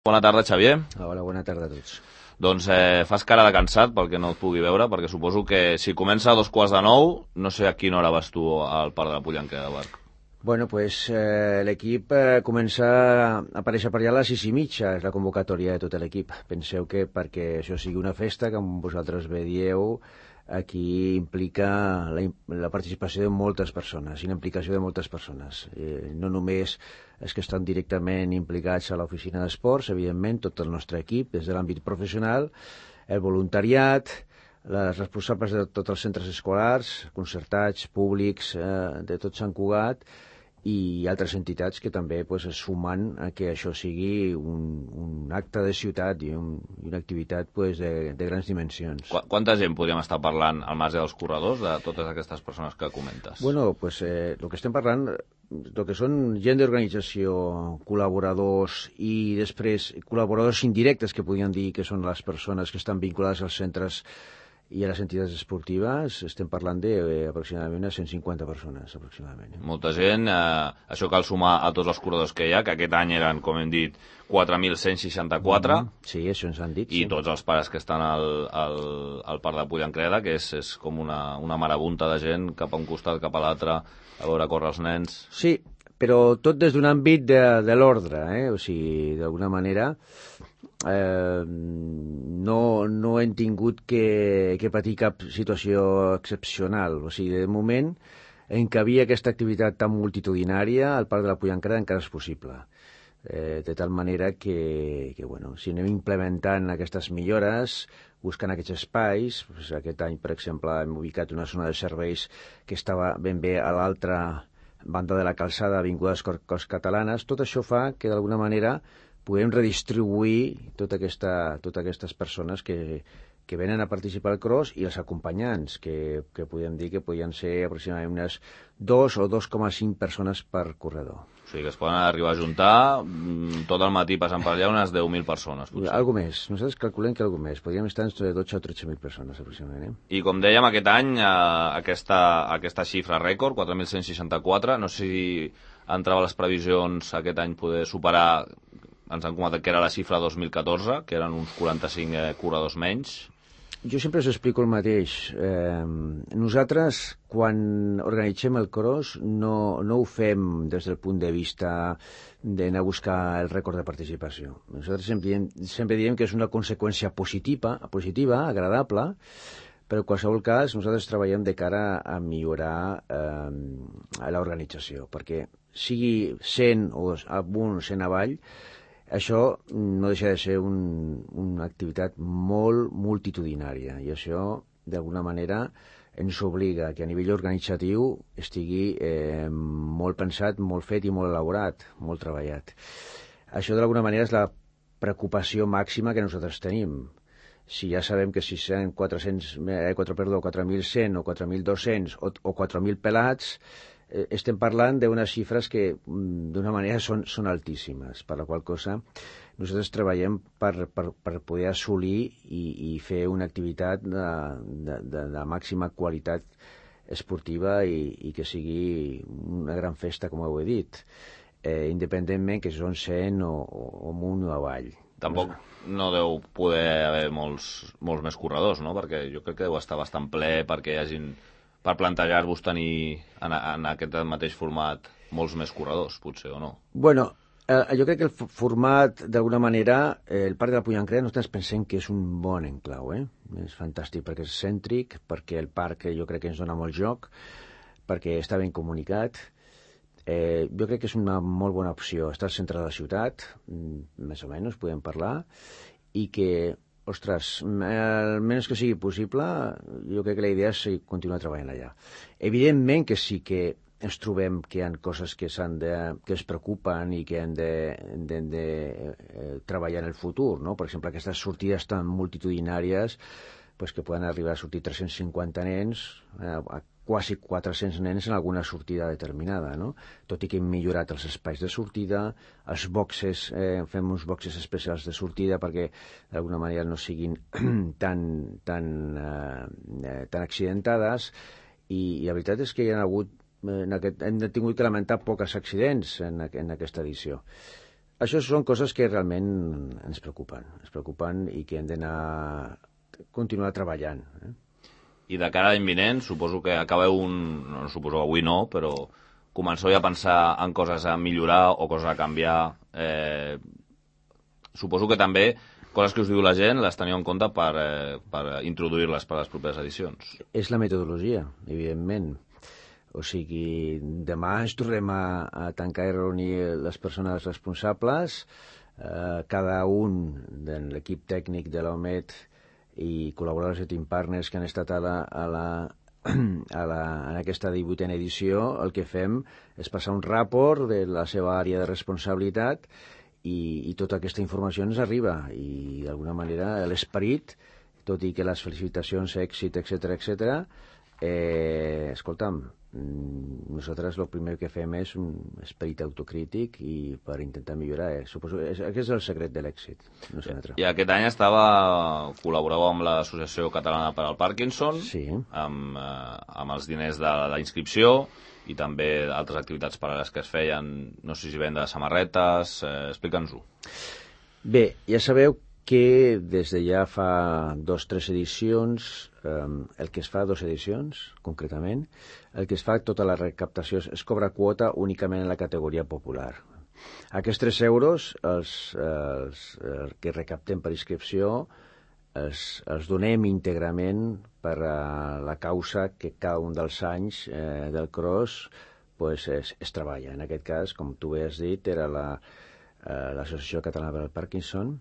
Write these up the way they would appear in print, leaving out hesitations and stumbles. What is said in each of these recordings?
Bona tarda, Xavier. Hola, bona tarda a tots. Doncs fas cara de cansat pel que no et pugui veure, perquè suposo que si comença a 2:15, no sé a quina hora vas tu al Parc de la Pollenquera de Barc. Bueno, pues l'equip comença a aparèixer per allà a les 6:30, és la convocatòria de tot l'equip. Penseu que perquè això sigui una festa, com vosaltres bé dieu, aquí implica la participació de moltes persones, i la implicació de moltes persones. No només els que estan directament implicats a l'oficina d'esports, evidentment, tot el nostre equip, des de l'àmbit professional, el voluntariat, les responsables de tots els centres escolars, concertats, públics, de tot Sant Cugat, i altres entitats que també pues, es sumen a que això sigui un acte de ciutat i una activitat pues, de grans dimensions. Quanta gent podríem estar parlant al marge dels corredors, de totes aquestes persones que comentes? Bueno, pues el que estem parlant, el que són gent d'organització, col·laboradors i després col·laboradors indirectes que podríem dir que són les persones que estan vinculades als centres i a les entitats esportives, estem parlant d'aproximadament 150 persones, aproximadament. Molta gent, això cal sumar a tots els corredors que hi ha, que aquest any eren, com hem dit, 4.164. Sí, això ens han dit. I sí. tots els pares que estan al Parc de Pollenquera, que és com una marabunta de gent cap a un costat, cap a l'altre, a veure córrer els nens. Sí, però tot des d'un àmbit de l'ordre, o sigui, d'alguna manera no hem tingut que patir cap situació excepcional. O sigui, de moment, en què havia aquesta activitat tan multitudinària, al Parc de la Pollenquera encara és possible. De tal manera que bueno, si anem implementant aquestes millores, buscant aquests espais, doncs aquest any, per exemple, hem ubicat una zona de serveis que estava ben bé a l'altra banda de la calçada vinculada a les Corts Catalanes. Tot això fa que, d'alguna manera, podem redistribuir totes aquestes persones que venen a participar al cross i els acompanyants, que podem dir que podien ser aproximadament unes 2 o 2,5 persones per corredor. O sigui que es poden arribar a juntar tot el matí passant per allà unes 10.000 persones, potser. Algo més. Nosaltres calculem que algo més. Podríem estar entre 12 o 13.000 persones, aproximadament. I com dèiem, aquest any, aquesta xifra rècord, 4.164, no sé si entrava a les previsions aquest any poder superar, ens han comentat que era la xifra 2014, que eren uns 45 corredors menys. Jo sempre us explico el mateix. Nosaltres, quan organitzem el cross, no ho fem des del punt de vista d'anar a buscar el rècord de participació. Nosaltres sempre diem que és una conseqüència positiva, agradable, però en qualsevol cas nosaltres treballem de cara a millorar l'organització, perquè sigui 100 o amunt, 100 avall, això no deixa de ser una activitat molt multitudinària, i això, d'alguna manera, ens obliga que a nivell organitzatiu estigui molt pensat, molt fet i molt elaborat, molt treballat. Això, d'alguna manera, és la preocupació màxima que nosaltres tenim. Si ja sabem que si són 4.100 o 4.200 o 4.000 pelats, estem parlant d'unes xifres que d'una manera són altíssimes, per la qual cosa nosaltres treballem per poder assolir i fer una activitat de màxima qualitat esportiva i que sigui una gran festa, com ho he dit, independentment que són 100 o amunt o avall. Tampoc no deu poder haver molts més corredors, no? Perquè jo crec que deu estar bastant ple perquè hi hagin, per plantejar-vos tenir en aquest mateix format molts més corredors, potser, o no? Bueno, jo crec que el format, d'alguna manera, el Parc de la Pollenquera, nosaltres pensem que és un bon enclau, És fantàstic perquè és cèntric, perquè el parc jo crec que ens dona molt joc, perquè està ben comunicat. Jo crec que és una molt bona opció. Està al centre de la ciutat, més o menys, podem parlar, i que, ostres, almenys que sigui possible, jo crec que la idea és continuar treballant allà. Evidentment que sí que ens trobem que hi ha coses que es preocupen i que hem de treballar en el futur, no? Per exemple, aquestes sortides tan multitudinàries, pues, que poden arribar a sortir 350 nens, a quasi 400 nens en alguna sortida determinada, no? Tot i que hem millorat els espais de sortida, els boxes, fem uns boxes especials de sortida perquè d'alguna manera no siguin tan accidentades, i la veritat és que hi ha hagut hem tingut que lamentar pocs accidents en aquesta edició. això són coses que realment ens preocupen i que hem d'anar continuar treballant. I de cara a l'any vinent, suposo que acabeu no suposo avui no, però comenceu ja a pensar en coses a millorar o coses a canviar. Suposo que també coses que us diu la gent les teniu en compte per introduir-les per a les properes edicions. És la metodologia, evidentment. O sigui, demà ens tornem a tancar i reunir les persones responsables, cada un de l'equip tècnic de l'OMET i col·laboradors de Team Partners que han estat en aquesta 18a edició. El que fem és passar un rapport de la seva àrea de responsabilitat i tota aquesta informació ens arriba i d'alguna manera l'esperit, tot i que les felicitacions, èxit, etc., escolta'm, nosaltres el primer que fem és un esperit autocrític i per intentar millorar. Suposo que aquest és el secret de l'èxit, no sé un altre. I aquest any col·laboreu amb l'Associació Catalana per al Parkinson, sí, amb els diners de la inscripció i també altres activitats paral·leles que es feien, no sé si venda samarretes, explica'ns-ho. Bé, ja sabeu que des de ja fa 2 o 3 edicions, el que es fa 2 edicions, concretament, el que es fa tota la recaptació es cobra quota únicament en la categoria popular. Aquests 3 euros, els que recaptem per inscripció, els donem íntegrament per a la causa que cada un dels anys del cross es treballa. En aquest cas, com tu bé has dit, era l'Associació Catalana per al Parkinson,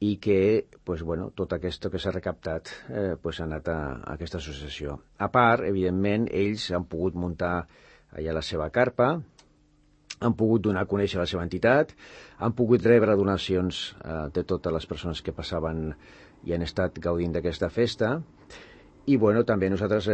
i que tot aquest que s'ha recaptat ha anat a aquesta associació. A part, evidentment, ells han pogut muntar allà la seva carpa, han pogut donar a conèixer la seva entitat, han pogut rebre donacions de totes les persones que passaven i han estat gaudint d'aquesta festa. I també nosaltres,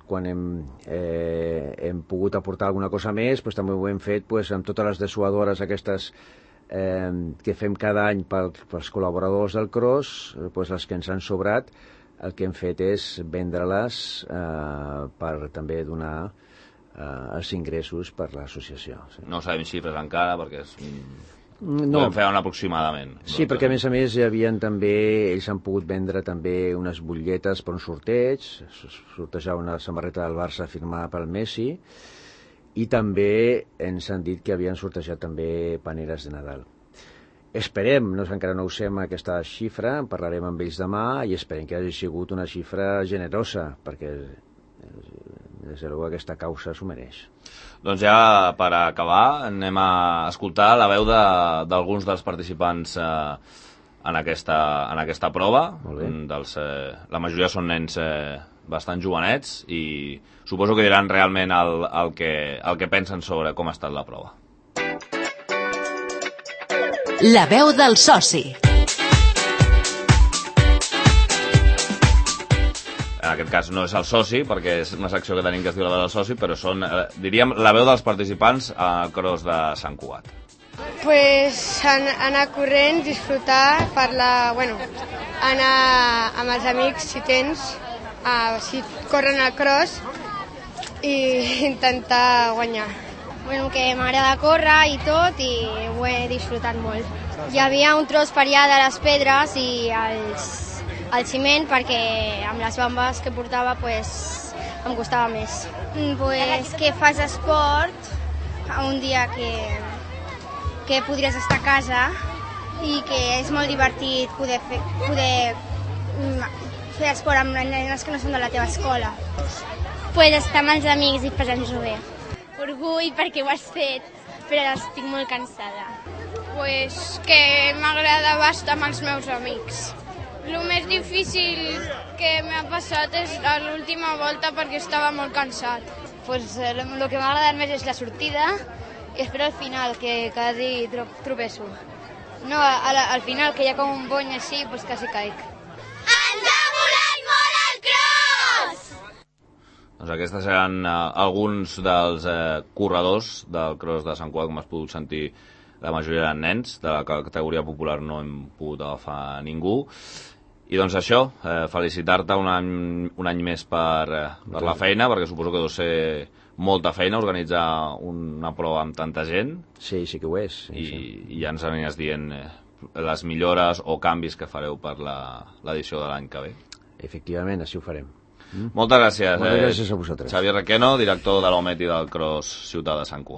quan hem pogut aportar alguna cosa més, també ho hem fet amb totes les dessuadores aquestes que fem cada any pels col·laboradors del cross, les que ens han sobrat, el que hem fet és vendre-les per també donar els ingressos per l'associació. Sí. No sabem xifres encara perquè no. Podem fer un aproximadament. Sí, perquè a més hi havien també, ells han pogut vendre també unes butlletes per un sorteig, sortejar una samarreta del Barça firmada pel Messi, i també ens han dit que havien sortejat també paneres de Nadal. Esperem, encara no ho sabem aquesta xifra, en parlarem amb ells demà i esperem que hagi sigut una xifra generosa, perquè des de luego aquesta causa s'ho mereix. Doncs ja per acabar anem a escoltar la veu d'alguns dels participants en aquesta prova. La majoria són nens bastant jovenets i suposo que diran realment el que pensen sobre com ha estat la prova. La veu del soci. En aquest cas no és el soci, perquè és una secció que tenim que es diu la veu del soci, però són, diríem, la veu dels participants al cross de Sant Cugat. Pues anar corrent, disfrutar, anar amb els amics si tens, si corren al cross i intentar guanyar. Que m'agrada córrer i tot i ho he disfrutat molt. Hi havia un tros per allà de les pedres i el ciment perquè amb les bambes que portava em costava més. Que fas esport un dia que podries estar a casa i que és molt divertit poder fer esport amb nenes que no són de la teva escola. Estar amb els amics i passar-nos-ho bé. Orgull perquè ho has fet, però ara estic molt cansada. Que m'agradava estar amb els meus amics. El més difícil que m'ha passat és l'última volta perquè estava molt cansat. El que m'ha agradat més és la sortida i espero al final, que quasi tropeço. No, al final, que hi ha com un bony així, quasi caic. Ens ha molat molt el cross! Doncs aquests seran alguns dels corredors del cross de Sant Cugat, com has pogut sentir, la majoria eren nens, de la categoria popular no hem pogut agafar ningú. I doncs això, felicitar-te un any més per la feina, perquè suposo que deu ser molta feina organitzar una prova amb tanta gent. Sí, sí que ho és. I ja ens aniràs dient les millores o canvis que fareu per l'edició de l'any que ve. Efectivament, així ho farem. Moltes gràcies. Moltes gràcies a vosaltres. Xavier Requeno, director de l'OMET i del Cross Ciutat de Sant Cugat.